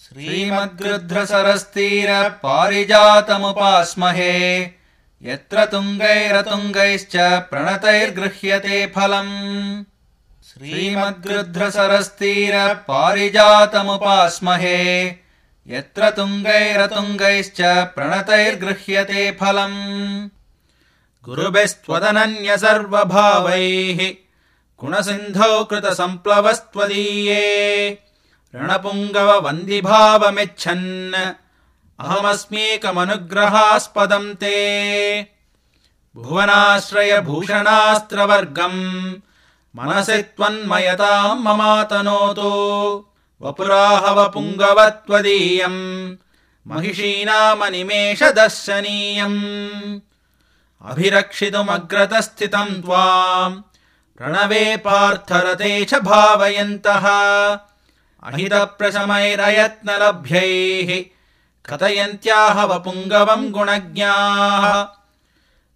श्रीमद्गृध्रसरस्तीर पारिजातमुपास्महे यत्र तुङ्गैरतुङ्गैश्च प्रणतैर्गृह्यते फलम् श्रीमद्गृध्रसरस्तीर पारिजातमुपास्महे यत्र तुङ्गैरतुङ्गैश्च प्रणतैर्गृह्यते फलम् गुरुभिस्त्वदनन्य सर्वभावैः गुणसिन्धौ कृतसम्प्लवस्त्वदीये रणपुङ्गव वन्दिभावमिच्छन् अहमस्मीकमनुग्रहास्पदम् ते भुवनाश्रय भूषणास्त्रवर्गम् मनसि त्वन्मयताम् ममातनोतु वपुराहव पुङ्गवत्वदीयम् महिषीनामनिमेषदर्शनीयम् अभिरक्षितुमग्रतस्थितम् त्वाम् प्रणवे पार्थरते च भावयन्तः अहितप्रशमैरयत्नलभ्यैः कथयन्त्याह वपुङ्गवम् गुणज्ञाः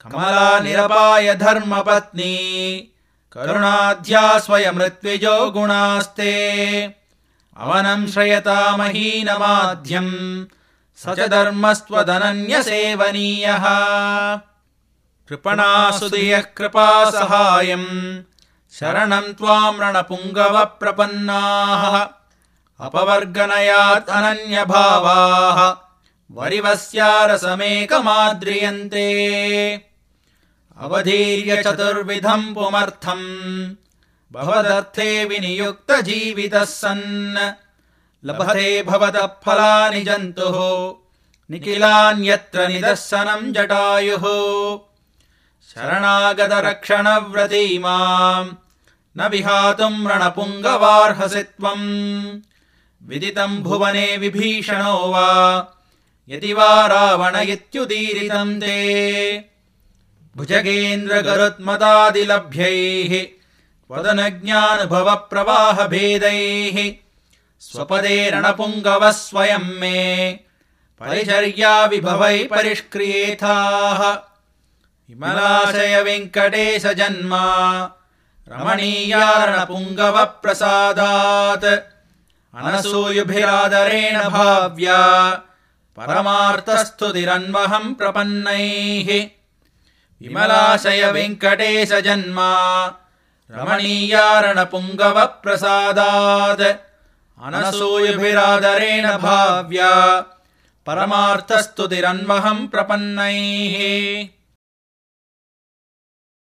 कमला निरपाय धर्मपत्नी करुणाध्या स्वयमृत्विजो गुणास्ते अवनम् श्रयतामहीनमाध्यम् स च धर्मस्त्वदनन्यसेवनीयः कृपणासुदयः कृपासहायम् शरणम् त्वाम् रणपुङ्गव प्रपन्नाः अपवर्गनयात् अनन्यभावाः वरिवस्यारसमेकमाद्रियन्ते अवधीर्य चतुर्विधम् पुमर्थम् भवदर्थे विनियुक्तजीवितः सन् लभते भवतः फलानि जन्तुः निखिलान्यत्र निदर्शनम् जटायुः शरणागतरक्षणव्रतीमाम् न विहातुम् रणपुङ्गवार्हसि त्वम् विदितम् भुवने विभीषणो वा यदि वा रावण इत्युदीरितम् ते भुजगेन्द्रगरुत्मतादिलभ्यैः त्वदनुज्ञानुभवप्रवाहभेदैः स्वपदे रणपुङ्गवः स्वयम् मे परिचर्या विभवै परिष्क्रियेथाः विमलाशय वेङ्कटेश जन्मा रमणीया रणपुङ्गव प्रसादात् अनसूयुभिरादरेण भाव्या परमार्थस्तुतिरन्वहम् प्रपन्नैः विमलाशय वेङ्कटेश जन्मा रमणीया रणपुङ्गव प्रसादात् अनसूयुभिरादरेण भाव्या परमार्थस्तुतिरन्वहम् प्रपन्नैः।